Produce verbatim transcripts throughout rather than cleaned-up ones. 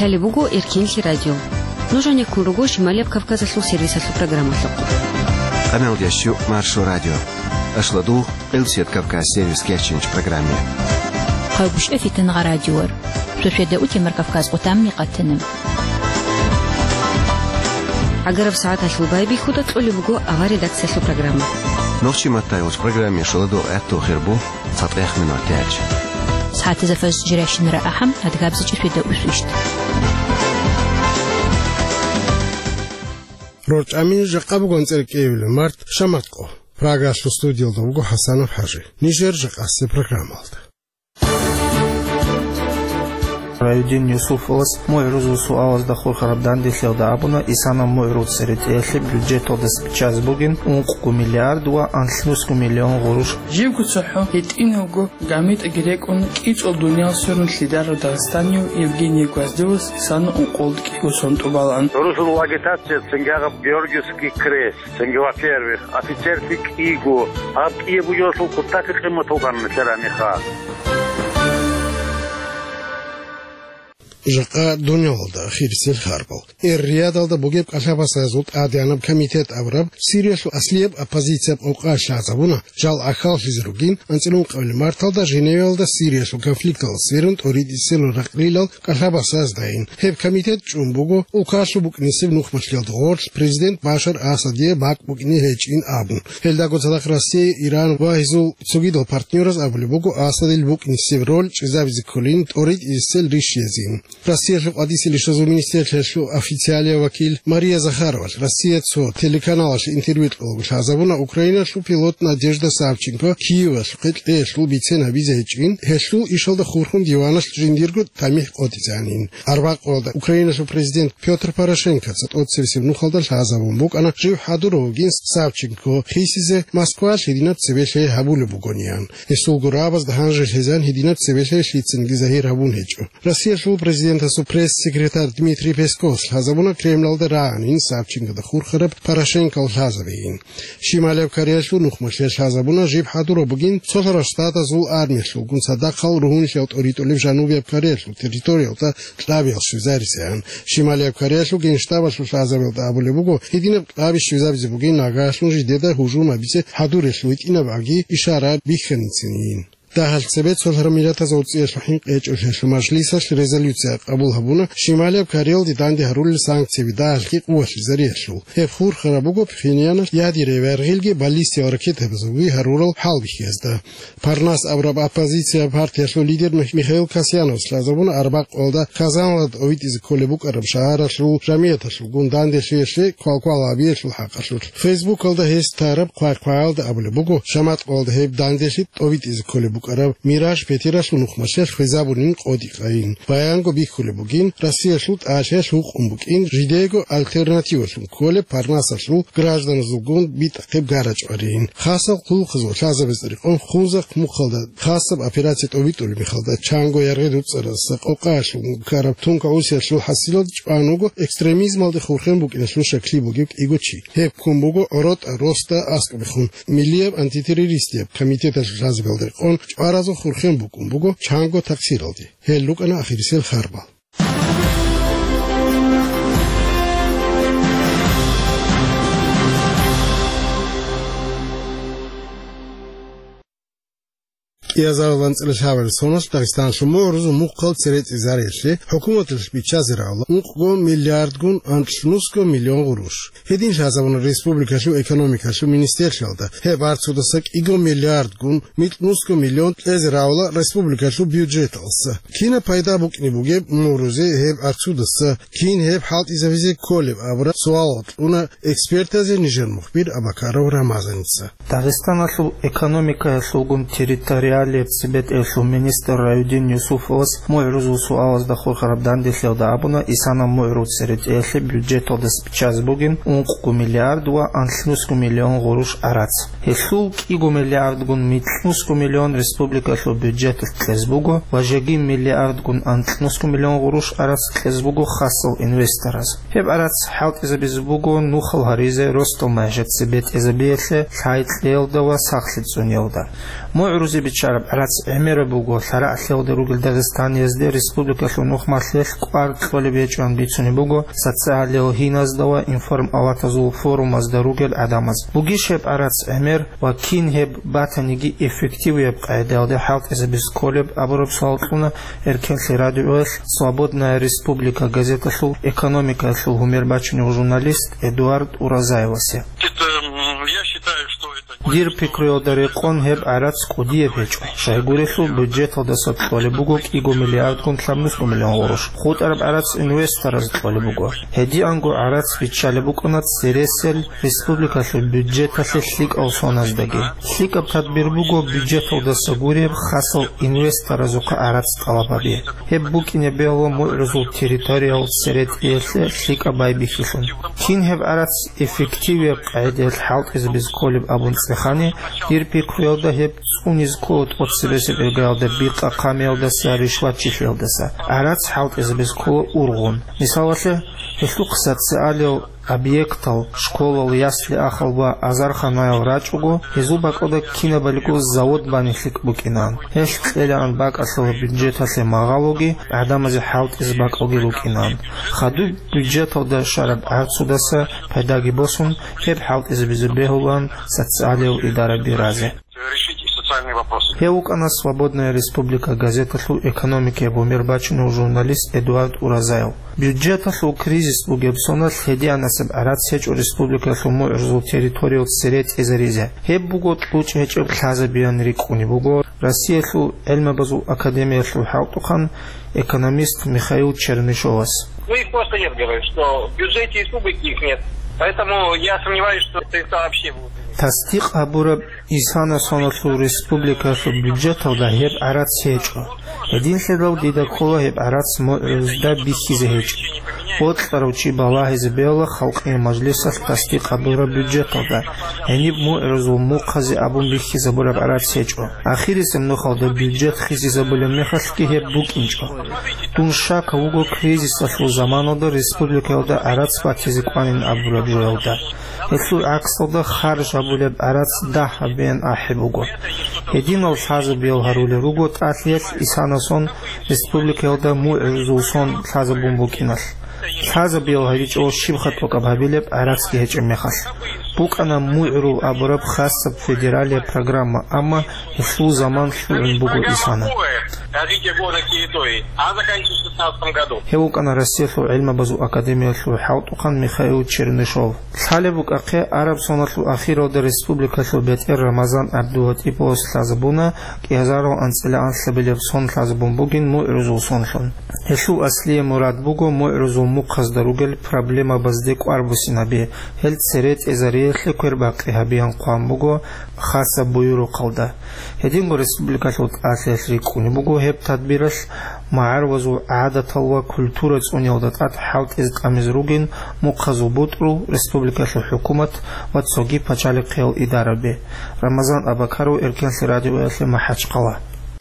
Лъалеб буго Эркенлъи радио. Нуж гьанеккун руго Шималияб Кавказалъул сервисалъул программалъухъ. Къамелдящу Маршо радио. Ашладу Къилсият Кавказ сервис кечинч программе. Хъайбушев Фитангъа радиор. Шошеда утемар Кавказ къутамни къатана. Агараб сагӀаталъул байбихьуда кьолеб буго авар редакциялъул программа. Нохчи маттайгъуч программе шоладу гӀатту хирбу цатӀех минут тяч. СагӀатизафаз жиращинара ахӀам, адгабзичӀи шведа усвищт. РорчӀамин жакъа бугон цӀеркӀеюле март шаматкъо. Прагалъул студиялда вуго ХӀасанов ХӀажи. Нижер жакъасе программалда. Райдин Юсуфовас МугӀрузул суалазда хурхараб данделъиялда абуна, Исана МугӀрузаца ретӀелъе бюджеталда биччазе бугин ункъго миллиард ва анлънусго миллион гъурущ. Живго цохӀо гьитӀинавго гамитӀаги рекӀун кӀицӀул дуниял сверун лъидарав дагъистанияв Евгений Гвоздилас Исана ункъолдкӀиго сон тӀубалан. Русул агитация цинги гьаб Георгиевский крест. Цинги, во-первых, офицерлъи кӀиго, гьаб кӀияб бугелъул кутакаб къиматал гьанна лъеранихъа. Жакъа дунялалда ахирисел харбал. Эр-Риядалда бугеб кӀалъабасазул тӀадегӀанаб комитет абураб Сириялъул аслияб оппозицияб къокъа лъазабуна, жал ахьаллъизе ругин анцӀила ункъабилеб марталда Женевиялда Сириялъул конфликталда сверун тӀоритӀисел ракълилал кӀалъабасаздайин. Гьеб комитет чӀун буго улкалъул букӀинисеб нухмалъиялда гъорлъ президент Башар Асадие бакӀ букӀине гьечӀин абун. Гьелдаго цадахъ Россия, Иран ва гьезул цогидал партнераз абулеб буго Асадил букӀинисеб роль чӀезабизе кколин тӀоритӀисел рищиязин. Россиялъул къватӀисел ишазул министрлъиялъул официалияв вакил Мария Захаровалъ Россия цо телеканалалъе интервью кьолаго лъазабуна Украиналъул пилот Надежда Савченко Киевалъухъе кьеялъул бицен гьабизе гьечӀин, гьелъул ишалда хурхун диваналъ жиндирго тамихӀ къотӀизанин. Арбакъоялда Украиналъул президент Пётр Порошенкоца тӀоцебесеб нухалда лъазабун букӀана жив хӀадурав вугин Савченко хисизе Москвалъ гьединаб цебе лъай гьабулеб бугониан. Гьесул гурабазда гьанже лъезан гьединаб цебе лъай лъицанги загьир гьабун гьечӀо. Россиялъул президентасул пресс-секретарь Дмитрий Песковас лъазабуна Кремлалда рагӀанин Савченкода хурхараб Порошенкол лъазабейин. Шималияб Кореялъул нухмалъе лъазабуна жиб хӀадураб бугин цолъарав штатазул армиялъулгун цадахъал ругьунлъиял тӀоритӀулеб Жанубияб Кореялъул территориялда кьабиял щвезарисаян. Шималияб Кореялъул генштабалъул лъазабиялда абулеб буго, гьединаб кьаби щвезабизе бугин нагагьлъун жидеда гьужум гьабизе хӀадурелъул гьитӀинаб аги ишара бихьаницинин. Дагьал цебе цолъараб миллатазул цӀиялъул хӀинкъи гьечӀолъиялъул мажлисалъ резолюция къабул гьабуна Шималияб Кореялде данде гьарулел санкцияби дагьалги къуваталъизариялъул. Гьеб хурхараб буго Пхеньяналъ ядерай вергъилги баллистиял ракетабазулги гьарурал хӀалбихьиязда. Парнас абураб оппозиция партиялъул лидер Мих-, Михаил Касьяновас лъазабуна арбакъалда Казанлда тӀовитӀизе кколеб букӀараб шагьаралъул жамияталъулгун данделъиялъе квалквал гьабиялъул хӀакъалъулъ. Фейсбукалда гьес тараб хъвай-хъваялда абулеб буго, шаматкъалда гьеб данделъи тӀовитӀизе кколеб букӀараб Мираж пятилъул нухмалъе хвезабунин къотӀи-къайин. Баянго бихьулеб бугин, Россиялъул тӀалъиялъ гьукъун букӀин жидеего альтернативалъун кколеб Парнасалъул гражданазулгун битӀахъеб гарачӀварин. Хасал хъулухъазул лъазабазда рекъон Хунзахъ мухъалда хасаб операция тӀовитӀулеб мехалда чанго яргъи дуцӀаразда къокъаялъулгун ккараб тункагӀусиялъул хӀасилалда чӀван вуго экстремизмалде хурхен букӀиналъул щаклъи бугеб кӀиго чи. Гьеб ккун буго ГӀоротӀа росда аскӀобехун, Миллияб антитеррористияб комитеталъул лъазабиялда рекъон чӀваразул хурхен букӀун буго чанго такъсиралде. Гьел рукӀана ахирисел харбал. КӀиазарал анцӀила лъабабилеб соналъ Дагъистаналъул мугӀрузул мухъал цере цӀезариялъе хӀукуматалъ биччазарала ункъго миллиардгун анлънусго миллион гъурущ. Гьедин лъазабуна республикалъул экономикалъул министрлъиялда, гьеб арцудаса кӀиго миллиардгун микьнусго миллион кьезе равала республикалъул бюджеталса. Кинаб пайда букӀине бугеб мугӀрузе гьеб арцудаса, кин гьеб хӀалтӀизабизе кколеб абураб суалал кьуна экспертазе нижер мухбир Абакаров Рамазаница. Дагъистаналъул экономикаялъулгун территориалияб цебетӀеялъул министр Раюдин Юсуфовас мугӀрузул суалазда хурхараб данделъиялда абуна, Исана мугӀруз церетӀеялъе бюджеталдаса биччазе бугин ункъго миллиард ва анлънусго миллион гъурущ гӀарац. Гьелъул кӀиго миллиардгун микьнусго миллион республикалъул бюджеталъ кьезе буго ва жеги миллиардгун анлънусго миллион гъурущ гӀарац кьезе буго хасал инвестораз. Гьеб гӀарац хӀалтӀизабизе буго нухал гьаризе росдал мажат цебетӀезабиялъе лъай кьеялда ва сахлъи цӀуниялда. МугӀрузе бичча ГӀарац гӀемераб буго, лъарагӀлъиялда ругел дагъистаниязде республикалъул нухмалъиялъ кӀвар кьолеб гьечӀоан бицунеб буго социалиялъул гьиназда ва информалатазул форумазда ругел гӀадамаз. Бугищ гьеб гӀарац гӀемер ва кин гьеб батаниги эффективияб къагӀидаялде хӀалтӀизабизе кколеб абураб суал кьуна Эркенлъи радиоялъ «Свободная республика» газеталъул экономикаялъул гьумер бачунев журналист Эдуард Уразаевасе. Дир пикруялда рекъон гьеб гӀарац кӀудияб гьечӀо. Щайгурелъул бюджеталдаса кьолеб буго кӀиго миллиардгун лъабнусго миллион гъурущ. ХутӀараб гӀарац инвестораз кьолеб буго. Гьединго гӀарац биччалеб букӀана цересел республикалъул бюджеталъе лъикӀал соназдаги. ЛъикӀаб тадбир буго бюджеталдаса гуреб хасал инвесторазухъа гӀарац тӀалаб гьаби. Гьеб букӀине бегьула мугӀрузул территориял церетӀиялъе лъикӀаб байбихьилъун. Кин гьеб гӀарац эффективияб къагӀидаялъ хӀалтӀизабизе кколеб абун цӀехани, дир пикруялда гьеб цӀунизе ккола тӀоцебесеб иргаялда бикъа-хъамиялдаса, ришватчилъиялдаса. ГӀарац хӀалтӀизабизе ккола ургъун. Мисалалъе, гьелъухъ социалиял объектал, школал, ясли-ахал ва азарханаял рачӀого, гьезул бакӀалда кинабалиго завод бани лъикӀ букӀинаан. Гьелъ кьелаан бакӀалъула бюджеталъе магъалоги, гӀадамазе хӀалтӀизе бакӀалги рукӀинаан. Хадуб бюджеталда щвараб гӀарцудаса пайдаги босун, гьеб хӀалтӀизабизе бегьулаан социалиял идараби разе. Решить и социальные вопросы. Гьев вукӀана «Свободная республика» газеталъул экономикаяб гьумер бачунев журналист Эдуард Уразаев. Бюджеталъул кризис бугеб соналъ гьединасеб гӀарац гьечӀо республикалъул мугӀрузул территориял церетӀезаризе. Гьеб буго кьучӀ гьечӀеб лъазабиян рикӀкӀунеб буго Россиялъул гӀелмабазул академиялъул хӀалтӀухъан экономист Михаил Чернышовас. Ну, их просто нет, говорю, что в бюджете республики их нет. Поэтому я сомневаюсь, что средства вообще будут. Тасдикъ гьабураб исана соналъул республикалъул бюджеталда гьеб гӀарац гьечӀо. Гьединлъидал дида ккола гьеб гӀарац мугӀрузда бихьизе гьечӀеб. Бокьарав чи балагьизе бегьула халкъиял мажлисалъ тасдикъ гьабураб бюджеталда, гьениб мугӀрузул мухъазе абун бихьизабураб гӀарац гьечӀо. Ахирисеб нухалда бюджет хисизабулеб мехалъги гьеб букӀинчӀо. Дун щакав вуго кризисалъул заманалда республикаялда гӀарац батизе кӀванин абураб жоялда. Гьелъул гӀаксалда харж гьабулеб гӀарац дагь гьабеян ахӀи буго. Гьединал лъазабиял гьарулел руго тӀалъиялъ исана сон республикаялда мугӀрузул сон лъазабун букӀиналъ. Лъазабиял гьаричӀого щибха тӀокӀаб гьабилеб гӀарацги гьечӀеб мехалъ. БукӀана мугӀрул абураб хасаб федералияб программа, амма гьелъул заман лъугӀун буго исана. Развитие горной территории. Она заканчивается в шестнадцатом году. Гьев вукӀана Россиялъул гӀилмабазул академиялъул хӀалтӀухъан Михаил Чернышов. Лъалеб букӀахъе, араб соналъул ахиралда республикалъул бетӀер Рамазан ГӀабдулатӀиповас лъазабуна кӀиазарал анцӀила анлъабилеб сон лъазабун бугин мугӀрузул сонлъун. Гьелъул аслияб мурад буго мугӀрузул мухъазда ругел проблемабазде кӀвар буссинаби, гьел церетӀезариялъе квербакъи гьабиян хъван буго хасаб буюрухъалда. Гьединго республикалъул тӀалъиялъ рикӀкӀунеб буго гьеб тадбиралъ магӀарулазул гӀадатал ва культура цӀуниялда тӀад хӀалтӀизе тӀамизе ругин мухъазул бутӀрул, республикалъул хӀукумат ва цоги пачалихъиял идараби. Рамазан Абакаров, Эркенлъи радиоялъе, МахӀачхъала.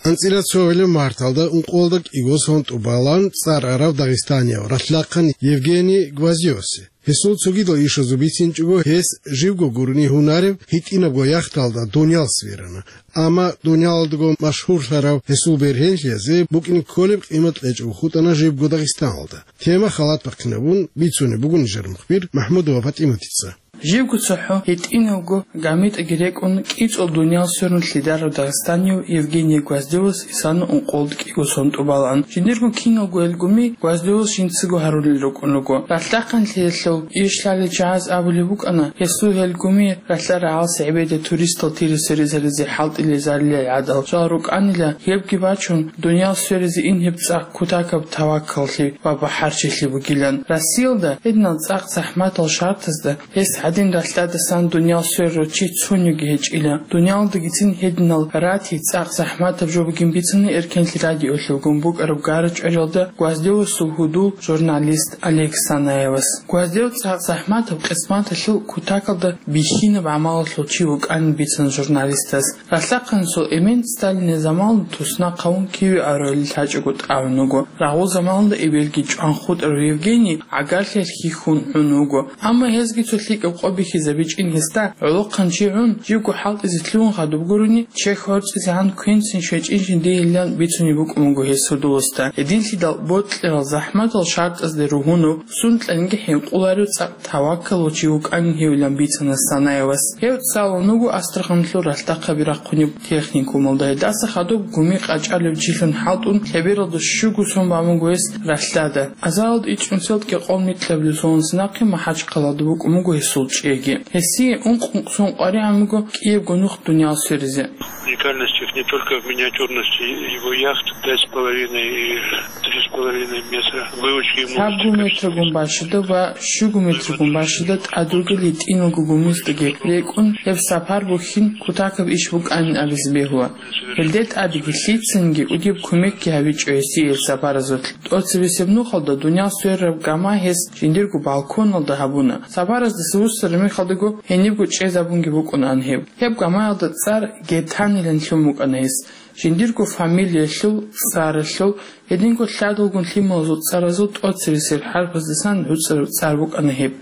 АнцӀила цогӀилаб марталда ункъоялда кӀиго сон тӀубалан цӀар арав дагъистанияв ралъдахъан Евгений Гвоздевасе. Гьесул цогидал ишазул бицинчӀого, гьес живго гурони гьунареб гьитӀинабго яхталда дуниял сверана. Амма дуниялалдаго машгьурлъарав гьесул бергьенлъиязде букӀине кколеб къимат кьечӀого хутӀана живго Дагъистаналда. Тема халат бахъинабун бицунеб буго нижер мухбир МахӀмудова ПатӀиматица. Живго цохӀо гьитӀинабго гамитӀаги рекӀун, кӀицӀул дуниял сверун лъидарав дагъистанияв Евгений Гвоздевас исана ункъоялда кӀиго сон тӀубалан. Жиндирго киналго гьелгоми Гвоздевас жинцаго гьарулел рукӀун руго. Ралъдахъанлъиялъул иш лъалел чагӀаз абулеб букӀана, гьесул гьелгоми ралъа-рагӀалас гӀебеде туристал тир-сверизаризе хӀалтӀилезарилел гӀадал жал рукӀанила, гьебги бачун, дуниял сверизе ин гьеб цӀакъ кутакаб таваккаллъи ва бахӀарчилъи бугилан. Россиялда гьединал цӀакъ захӀматал шартазда гьес гьадин ралъдадасан дуниял сверарав чи цониги гьечӀила. Дуниялалдагицин гьединал ратий цӀакъ захӀматаб жо бугин бицана Эркенлъи радиоялъ вугун букӀараб гара-чӀвариялда Гвоздевасул гьудул журналист Олег Санаевас. Гвоздев цӀакъ захӀматаб къисматалъул кутакалда бихьинаб гӀамалалъул чи вукӀанин бицана журналистас. Ралъдахъанасул эмен Сталинил заманалда туснахъ гьавун киве аварагвелил лъачӀого тӀагӀун вуго. Рагъул заманалда эбелги чӀван хутӀарав Евгений гӀагарлъиялъ хьихьун гӀун вуго. Амма гьезги цо лъикӀаб къо бихьизабичӀин гьесда, гӀолохъанчи гӀун, живго хӀалтӀизе лъугьун хадуб гурони, чехь гӀорцӀизегӀан квенцин щвечӀинчӀин дигьилан бицунеб букӀун буго гьес гьудуласда. Гьединлъидал бокьарал захӀматал шартӀазде ругьунав, сункьанги хӀинкъуларев цӀакъ таваккалав чи вукӀанин гьевилан бицана Санаевас. Гьев цӀалун вуго Астраханлъул ралъдахъаби рахъунеб техникумалда. Гьедаса хадуб гуми къачӀалев чилъун хӀалтӀун, лъебералда щуго сон бан буго гьес ралъдада. Азаралда ичӀнусиялда кӀикъоялда микьабилеб соналдаса нахъе МахӀачхъалада букӀун буго гьесул чӀеги. Гьесие ункъ-ункъ сон къваригӀун буго кӀиябго нух дуниял сверизе. Уникальностью не только в миниатюрности его яхт пять с половиной и три с половиной метра. Выучки ему Лъабго метргун бащада ва щуго метргун бащада тӀад ругел гьитӀиналго гумиздеги рекӀун, гьеб сапар бухьин кутакаб иш букӀанин абизе бегьула. Гьелде тӀадеги лъицанги кӀудияб кумекги гьабичӀо гьесие гьел сапаразулъ. ТӀоцебесеб нухалда дуниял сверараб гама гьес жиндирго балконалда гьабуна. Сапараздаса вуссараб мехалдаго гьенибго чӀезабунги букӀунаан гьеб. Гьеб гамаялда цӀар Гетанилан лъун букӀана гьес. Жиндирго фамилиялъул, цӀаралъул, гьединго лъадалгун лъималазул цӀаразул тӀоцересел хӀарпаздасан гӀуцӀараб цӀар букӀана гьеб.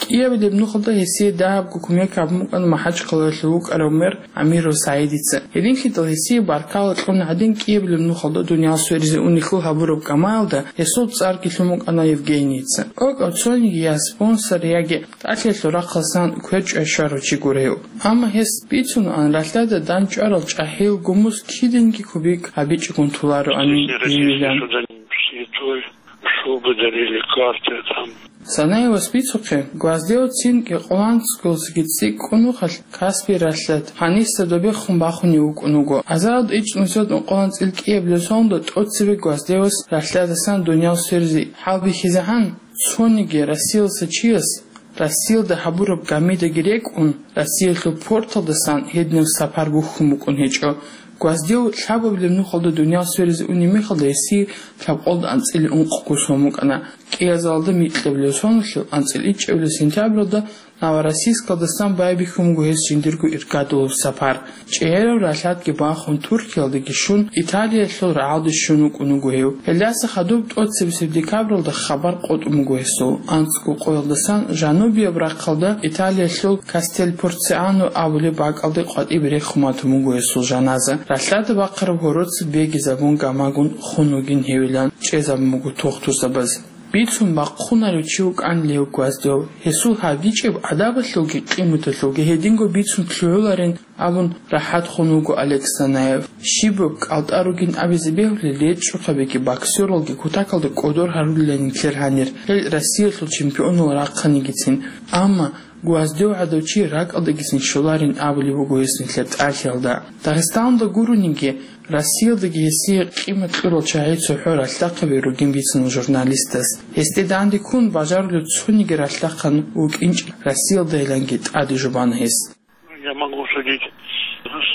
КӀиабилеб нухалда гьесие дагьабго кумек гьабун букӀана МахӀачхъалаялъул вукӀарав мэр ГӀамиров СагӀидица. Гьединлъидал гьесие баркала кьун гӀадин, кӀиабилеб нухалда дуниял сверизе унелъул гьабураб гамаялда гьесул цӀарги лъун букӀана Евгенийица. ТӀокӀаб цониги я спонсор, яги тӀалъиялъул рахъалдасан квер чӀвай щварав чи гуро гьев. Амма гьес бицунаан, ралъдада дандчӀварал чӀахӀиял гумуз киданги кубик гьабичӀогун толароанин гьевилан. Святой, шубы дарили, карты там. Санаевас бицухъе, Гвоздев цин кӀикъоялда анцӀгоялдасаги цӀикӀкӀун нухалъ Каспий ралъдад, гьаниса добехун бахунев вукӀун вуго. Азаралда ичӀнусиялда ункъоялда анцӀила кӀиабилеб соналда тӀоцебе Гвоздевас ралъдадасан дуниял сверизе хӀалбихьизегӀан, цониги Россиялдаса чияс Россиялда гьабураб гамидаги рекӀун, Россиялъул порталдасан гьединаб сапар бухьун букӀун гьечӀо. Гвоздев лъабабилеб нухалда дуниял сверизе унеб мехалда гьесие лъабкъоялда анцӀила ункъго сон букӀана. КӀиазалда микьабилеб соналъул анцӀила ичӀабилеб сентябралда Новороссийскалдасан байбихьун буго гьес жиндирго иргадулаб сапар. ЧӀегӀераб ралъадги бахун, Туркиялдеги щун, Италиялъул рагӀалде щун вукӀун вуго гьев. Гьелдаса хадуб тӀоцебесеб декабралда хабар къотӀун буго гьесул. АнцӀго къоялдасан жанубияб рахъалда Италиялъул Кастель-Порциано абулеб бакӀалде къватӀибе рехун батун буго гьесул жаназа. Ралъдада бахъараб гьороца бегизабун гамагун хун вугин гьевилан чӀезабун буго тухтурзабаз. Бицун бахъунарев чи вукӀанила гьев Гвоздев. Гьесул гьабичӀеб адабалъулги къиматалъулги гьединго бицун лъугӀуларин абун рахӀат хун вуго Олег Санаев. Щибаб кӀалтӀа ругин абизе бегьулел, речӀчӀухъабиги боксералги кутакалда кӀодор гьарулилан нилъер гьанир, гьел Россиялъул чемпионал рахъанигицин. Амма Гвоздев гӀадав чи ракӀалдагицин щоларин абулеб буго гьес нилъер тӀалъиялда. Дагъистаналда гурониги, Россиялдаги гьесие къимат кьурал чагӀи цохӀо ралъдахъаби ругин бицуна журналистас. Гьесде данде ккун бажарулев цониги ралъдахъан вукӀинчӀеб Россиялдайиланги тӀаде жубана гьес. Я могу судить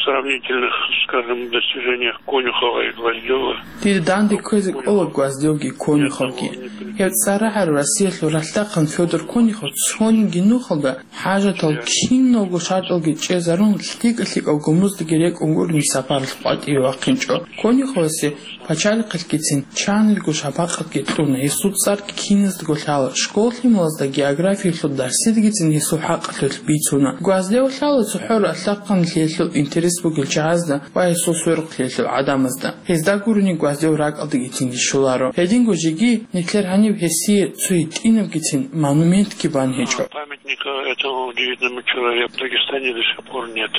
сравнительных, скажем, достижениях Конюхова и Гвоздёва. Дида данде кквезе кӀола Гвоздевги Конюховги. Гьев цӀар рагӀарав Россиялъул ралъдахъан Фёдор Конюхов цониги нухалда хӀажатал киналго шартӀалги чӀезарун, лъикӀа-лъикӀал гумуздаги рекӀун гурони сапаралъ къватӀиве вахъинчӀо. Конюховасе пачалихъалъгицин чанилго шапакъатги кьуна, гьесул цӀарги киназдаго лъала, школ-лъималазда географиялъул дарсидагицин гьесул хӀакъалъулъ бицуна. Гвоздев лъала цохӀо ралъдахъанлъиялъул интерес бугел чагӀазда ва гьесул сверухълъиялъул гӀадамазда. Гьезда гурони Гвоздев ракӀалдагицинги щоларо. Гьединго жеги нилъер гьаниб гьесие цо гьитӀинабгицин монументги бан гьечӀо. Памятника этому удивительному человеку в Дагестане до сих пор нет.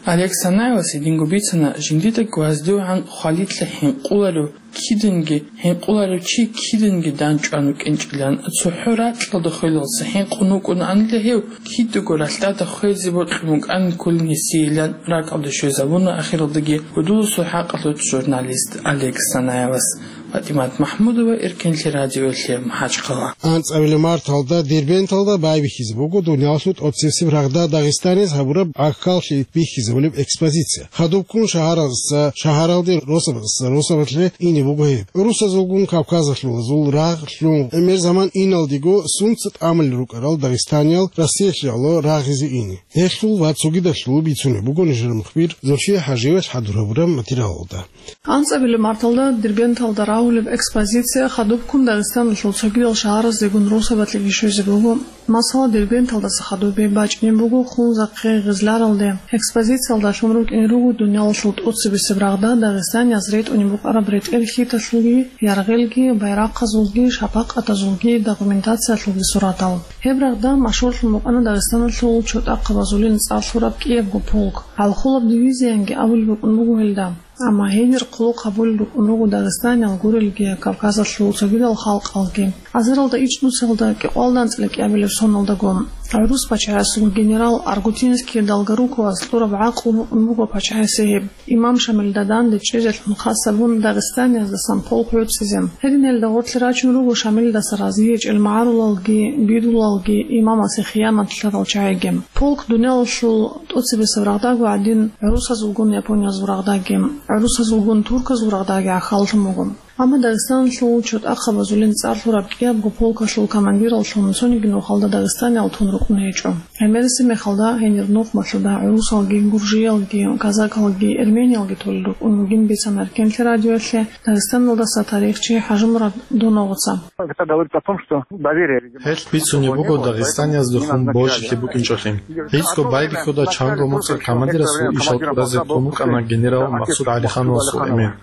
Олег Санаевас гьединго бицана, жиндида ГвоздевгӀан хвалилъа хӀинкъуларев киданги, хӀинкъуларев чи киданги дандчӀван вукӀинчӀилан, цохӀо ракьалда хвелалдаса хӀинкъун вукӀунаанила гьев, кидаго ралъдада хвезе бокьун букӀанин кколин гьесийилан ракӀалде щвезабуна, ахиралдаги гьудуласул хӀакъалъулъ журналист Олег Санаевас. ПатӀимат МахӀмудова, Эркенлъи радиоялъе, МахӀачхъала. АнцӀабилеб марталда Дербенталда байбихьизе буго дуниялалъул тӀоцебесеб рагъда Дагъистаниялъ гьабураб гӀахьаллъи бихьизабулеб экспозиция. Хадубккун шагьаралдаса шагьаралде, росабазаса росабалъе ине буго гьеб. ГӀурусазулгун кавказалъулазул рагъ лъун, гӀемер заман иналдего сунца тӀамулел рукӀарал дагъистаниял Россиялъе гӀоло рагъизе ине. Гьелъул ва цогидалъул бицунеб буго нижер мухбир Зульфия ХӀажиевас хӀадур гьабураб материалалда. АнцӀабилеб марталда Дербенталда рагьулеб экспозиция хадубккун Дагъистаналъул цогидал шагьараздегун росабалъеги щвезе буго. Масала, Дербенталда Хадубе бачӀунеб буго Хунзахъе гъизларалде. Экспозициялда лъун рукӀине руго дуниялалъул тӀоцебесеб рагъда дагъистанияз ретӀунеб букӀараб ретӀел-хьиталъулги, яргъелги, байрахъазулги, шапакъатазулги, документациялъулги суратал. Гьеб рагъда машгьурлъун букӀана Дагъистаналъул чотӀахъабазулин цӀар лъураб кӀиябго полк. ГӀалхулаб дивизиянги абулеб букӀун буго гьелда. Амма гьенир хъулухъ гьабулел рукӀун руго дагъистаниял гурелги, Кавказалъул цогидал халкъалги. Азаралда ичӀнусиялда кӀикъоялда анцӀила кӀиабилеб соналдаго гӀурус пачагьасул генерал Аргутинский Долгоруковас кьураб гӀакълу букӀун буго пачагьасе гьеб, имам Шамилда данде чӀезелъун хас гьабун дагъистанияздасан полк гӀуцӀизе. Гьединелда гъорлъе рачун руго Шамилдаса разиячӀел магӀарулалги, бидулалги, имамасе хиянат лъарал чагӀиги. Полк дуниялалъул тӀоцебесеб рагъдаго гӀадин, гӀурусазулгун япониязул рагъдаги, гӀурусазулгун турказул рагъдаги гӀахьаллъун буго. Амма Дагъистаналъул чотӀахъабазулин цӀар лъураб кӀиябго полкалъул командираллъун цониги нухалда дагъистаниял тун рукӀун гьечӀо. ГӀемерисеб мехалда гьенир нухмалъуда гӀурусалги, гуржиялги, казакалги, эрмениялги толел рукӀун вугин бицана Эркенлъи радиоялъе Дагъистаналдаса тарихчи ХӀажимурад Доновгъоца. Это говорит о том, что доверие, видимо, Гьелъ бицунеб буго дагъистанияздехун борщилъи букӀинчӀолъи. ГӀицӀго байбихьуда чанго моцӀалъ командирасул ишал тӀуразе тун вукӀана генерал Масуд ГӀалихановасул эмен.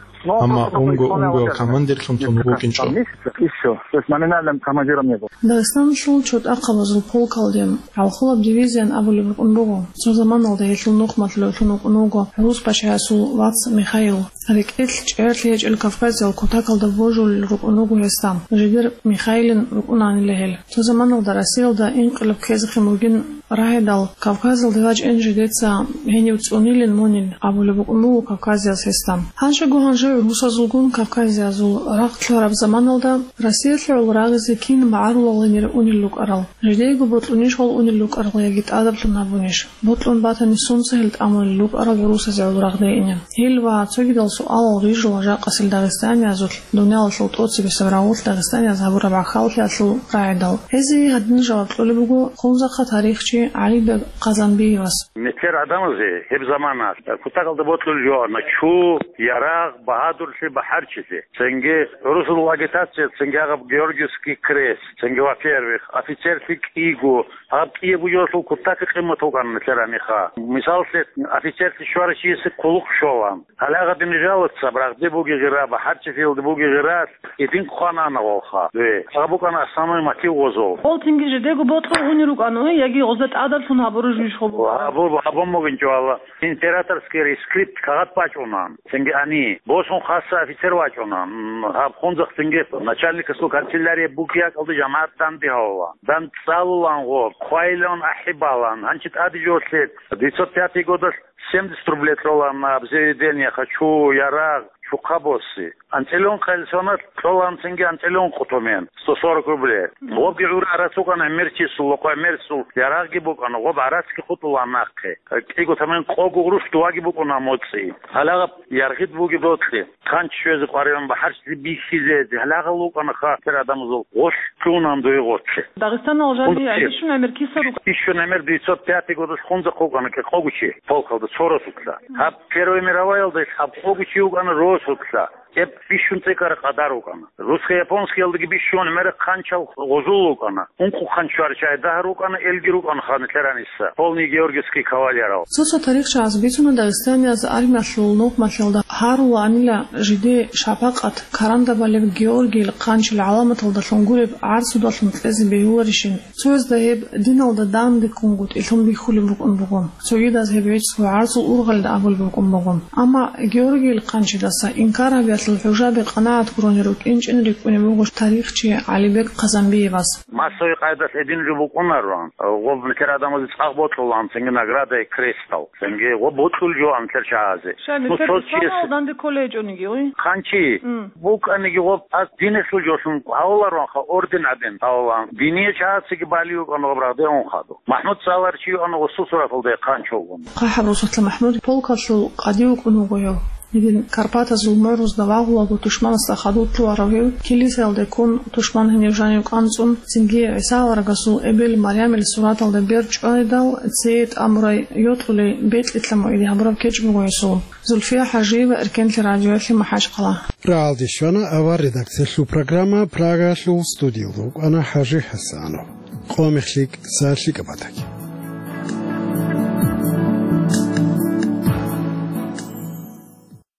Амма унго-унго командирлъун тун вукӀинчӀо. И всё. То есть номинальным командиром не был. Дагъистаналъул чотӀахъабазул полкалде гӀалхулаб дивизиян абулеб букӀун буго. Цо заманалда гьелъул нухмалъулев лъун вукӀун вуго гӀурус пачаясул вац Михаил. РекӀелъ чӀегӀерлъи гьечӀел Кавказиял кутакалда божулел рукӀун руго гьесда, жидер Михаилин рукӀунанила гьел. Цо заманалда Россиялда инкъилаб ккезехъин бугин рагӀидал, Кавказалде вачӀин жидеца гьенив цӀунилин мунин абулеб букӀун буго кавказияз гьесда. Гьанжего-гьанже гӀурусазулгун кавказиязул рагъ лъараб заманалда Россиялъе гӀоло рагъизе кин магӀарулал гьенир унел рукӀарал, жидеего бокьунищ гьол унел рукӀарал яги тӀадаблъун гьабунищ? Бокьун батани, сунца гьел тӀамулел рукӀарал гӀурусазе гӀоло рагъде ине? Гьел ва цогидал суалал рижула жакъасел дагъистаниязулъ дуниялалъул тӀоцебесеб рагъулъ дагъистанияз гьабураб гӀахьаллъиялъул рагӀидал. Гьезие гьадин жаваб кьолеб буго Хунзахъа тарихчи ГӀалибег Хъазанбиевас. Нилъер гӀадамазе гьеб замана кутакалда бокьулел жоана чу, ярагъ, багьадурлъи, бахӀарчилъи. Цинги гӀурусул агитация, цинги гьаб Георгиевский крест, цинги, во-первых, офицерлъи кӀиго, гьаб кӀие бугелъул кутакалъе къимат букӀана нилъер гьаниха. Мисаллъе, офицерлъи щварав чиясе хъулухъ щолан. Гьале гьадин жалоцаб рагъде буги гъира, бахӀарчилъиялде буги гъира, гьедин хъвана гъолха. Ве, гьаб букӀана основной мотив гъозул. Гъол цинги жидего бокьун унел рукӀана, яги гъозда тӀадаблъун гьабураб жо иш гъоб? Гьабу-, гьабун бугинчӀо, валла. Императорский рескрипт кагъат бачӀуна. Цинги гьани, босун хаса офицер вачӀуна. М, гьаб Хунзахъ цинги начальникасул канцелярия буги гьакӀалда жамагӀат данде гьавула. ДандчӀвалулан гъоб, хъвайлъун ахӀи балан, гьанчи тӀаде жолъе, девятьсот пятый годалъ семьдесят рублей кьолан аб заведение, ха чу, ярагъ, чухъа боси. АнцӀила ункъоялъ соналъ кьолан цинги анцӀила ункъо тӀамун, сто сорок рублей. Гъобги гӀура гӀарац букӀана гӀемерчиясул, гъоб гӀемерисул ярагъги букӀана, гъоб гӀарацги хутӀулан нахъе. КӀиго тӀамун къого гъурущ дувагӀги букӀуна моцӀи. Гьалагъаб яргъид буги бокьи. Хъанчи щвезе къваригӀун, бахӀарчилъи бихьизе, гьалагъал вукӀана ха, тер адамазул гъолъ лъугьунан дуе гъоци. Дагъистанал жаниб Гъоци. Бищун гӀемер киса рукӀа? Бищун гӀемер девятьсот пятый годалъ Хунзахъ вукӀана кӀикъого чи, полкалда цо росулъа. Гьаб Первая мироваялда гьаб къого чи вукӀана росулъа. Гьеб бищун цӀикӀкӀараб къадар вукӀана. Русско-японскиялдаги бищун гӀемер хъанчал гъозул вукӀана. Ункъо хъанчуар чай дагьар рукӀана, элги рукӀана ха нилъер гьаниса, полный георгиевский кавалерал. Цо-цо тарихчияз бицуна Дагъистанияз армиялъул нухмалъиялда гьарулаанила жиде шапакъат, карандабалеб Георгийил хъанчил гӀаламаталдалъун гуреб гӀарцудалъун кьезе бегьуларищин. Цоязда гьеб диналда данде ккунгутӀилъун бихьулеб букӀун буго. Цогидаз гьеб гӀицӀго гӀарцул ургъалда абулеб букӀун буго. Амма Георгийил хъанчидаса инкар гьабиялъул хӀужаби къанагӀат гурони рукӀинчӀин рикӀкӀунеб буго тарихчи ГӀалибек Хъазанбиевас. Массовый къайдалъ гьедин жо букӀунаро. Гъоб нилъер адамазе цӀакъ бокьулан, цинги наградаялъ крестал. Цинги гъоб бокьулел жоан нилъер чагӀазе. Ша, ну, нилъер цо исламал чияс данде кколей гьечӀониги, ой? Хъанчи. М. БукӀаниги гъоб аз динелъул жолъун гьавуларонха, орден гьабин гьавулан. Диния чагӀацаги балев вукӀана гъоб рагъде унхадуб. МахӀмуд цӀаларав чи вукӀана гъосул сураталда хъанчи вугун. ХъахӀаб росулъа МахӀмуд полкалъул къади вукӀун вуго гьев. Гьедин Карпатазул морузда вагъулаго тушманасда хадув лъугьарав гьев, килисаялде ккун, тушман гьенив жанив кӀанцӀун, цинги ГӀиса аварагасул эбел Марямил сураталда бер чӀвайдал, цее тӀамурай йокьулей бекьилъа мугӀиде гьабураб кечӀ буго гьесул. Зульфия ХӀажиева, Эркенлъи радиоялъе, МахӀачхъала. РагӀалде щвана авар редакциялъул программа, Прагаялъул студиялда вукӀана ХӀажи ХӀасанов. къо мех лъикӀ, са лъикӀаб батаги.